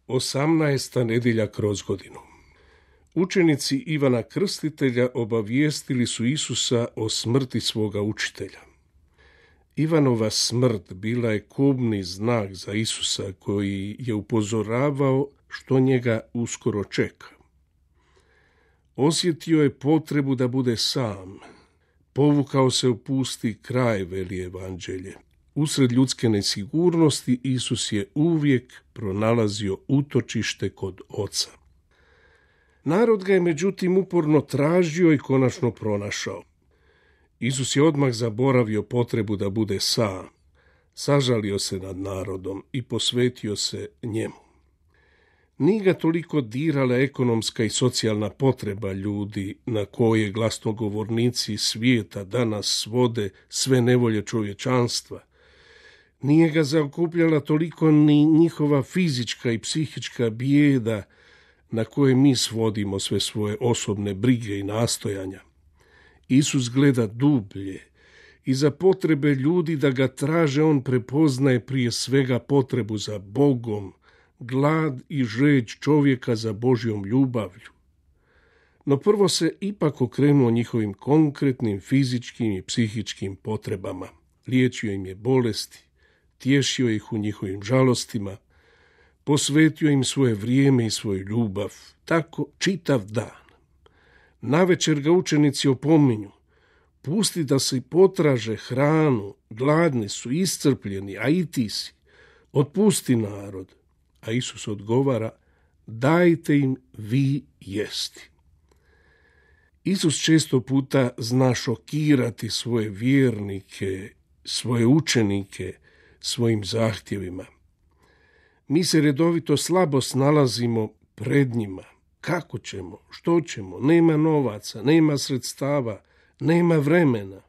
18. nedjelja kroz godinu. Učenici Ivana Krstitelja obavijestili su Isusa o smrti svoga učitelja. Ivanova smrt bila je kobni znak za Isusa koji je upozoravao što njega uskoro čeka. Osjetio je potrebu da bude sam. Povukao se u pusti kraj, veli evanđelje. Usred ljudske nesigurnosti Isus je uvijek pronalazio utočište kod Oca. Narod ga je međutim uporno tražio i konačno pronašao. Isus je odmah zaboravio potrebu da bude sam, sažalio se nad narodom i posvetio se njemu. Nije ga toliko dirala ekonomska i socijalna potreba ljudi na koje glasnogovornici svijeta danas svode sve nevolje čovječanstva. Nije ga zaokupljala toliko ni njihova fizička i psihička bijeda na koje mi svodimo sve svoje osobne brige i nastojanja. Isus gleda dublje i za potrebe ljudi da ga traže on prepoznaje prije svega potrebu za Bogom, glad i žeđ čovjeka za Božjom ljubavlju. No prvo se ipak okrenuo njihovim konkretnim fizičkim i psihičkim potrebama. Liječio im je bolesti, tješio ih u njihovim žalostima, posvetio im svoje vrijeme i svoju ljubav, tako čitav dan. Navečer ga učenici opominju, pusti da se potraže hranu, gladni su, iscrpljeni, a i ti si. Otpusti narod. A Isus odgovara, dajte im vi jesti. Isus često puta zna šokirati svoje vjernike, svoje učenike svojim zahtjevima. Mi se redovito slabo snalazimo pred njima. Kako ćemo? Što ćemo? Nema novaca, nema sredstava, nema vremena.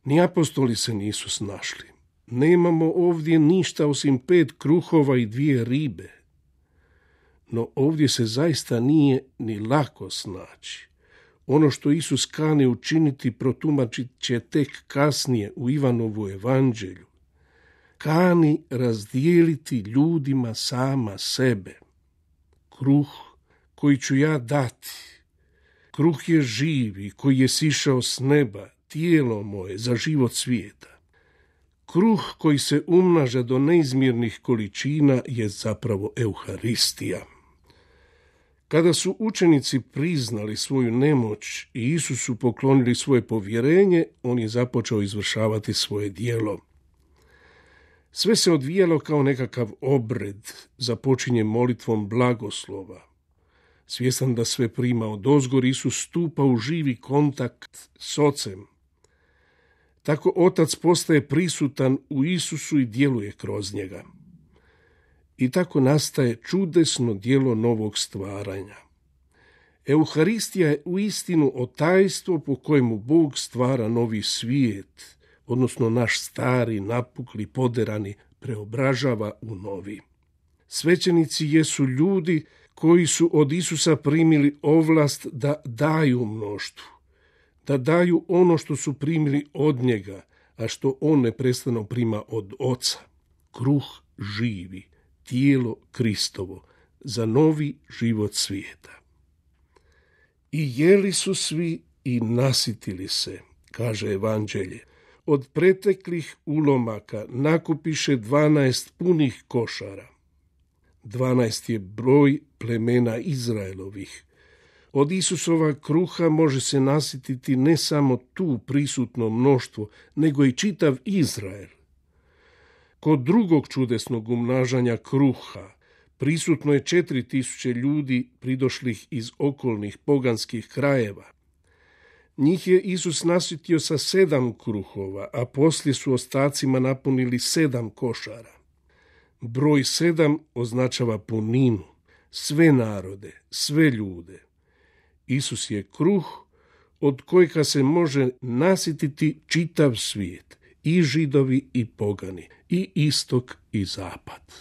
Ni apostoli se nisu snašli. Nemamo ovdje ništa osim 5 kruhova i 2 ribe. No ovdje se zaista nije ni lako snaći. Ono što Isus kani učiniti protumačit će tek kasnije u Ivanovu evanđelju. Kani razdijeliti ljudima sama sebe. Kruh koji ću ja dati. Kruh je živi koji je sišao s neba, tijelo moje za život svijeta. Kruh koji se umnaža do neizmjernih količina je zapravo Euharistija. Kada su učenici priznali svoju nemoć i Isusu poklonili svoje povjerenje, on je započeo izvršavati svoje djelo. Sve se odvijalo kao nekakav obred, započinje molitvom blagoslova. Svjestan da sve prima odozgor, Isus stupa u živi kontakt s Ocem. Tako Otac postaje prisutan u Isusu i djeluje kroz njega. I tako nastaje čudesno djelo novog stvaranja. Euharistija je uistinu otajstvo po kojemu Bog stvara novi svijet, odnosno naš stari, napukli, poderani, preobražava u novi. Svećenici jesu ljudi koji su od Isusa primili ovlast da daju mnoštvu, da daju ono što su primili od njega, a što on neprestano prima od Oca. Kruh živi, tijelo Kristovo, za novi život svijeta. I jeli su svi i nasitili se, kaže evanđelje. Od preteklih ulomaka nakupiše 12 punih košara. 12 je broj plemena Izraelovih. Od Isusova kruha može se nasititi ne samo tu prisutno mnoštvo, nego i čitav Izrael. Kod drugog čudesnog umnažanja kruha prisutno je 4000 ljudi pridošlih iz okolnih poganskih krajeva. Njih je Isus nasitio sa 7 kruhova, a poslije su ostacima napunili 7 košara. Broj 7 označava puninu, sve narode, sve ljude. Isus je kruh od kojega se može nasititi čitav svijet, i Židovi i pogani, i istok i zapad.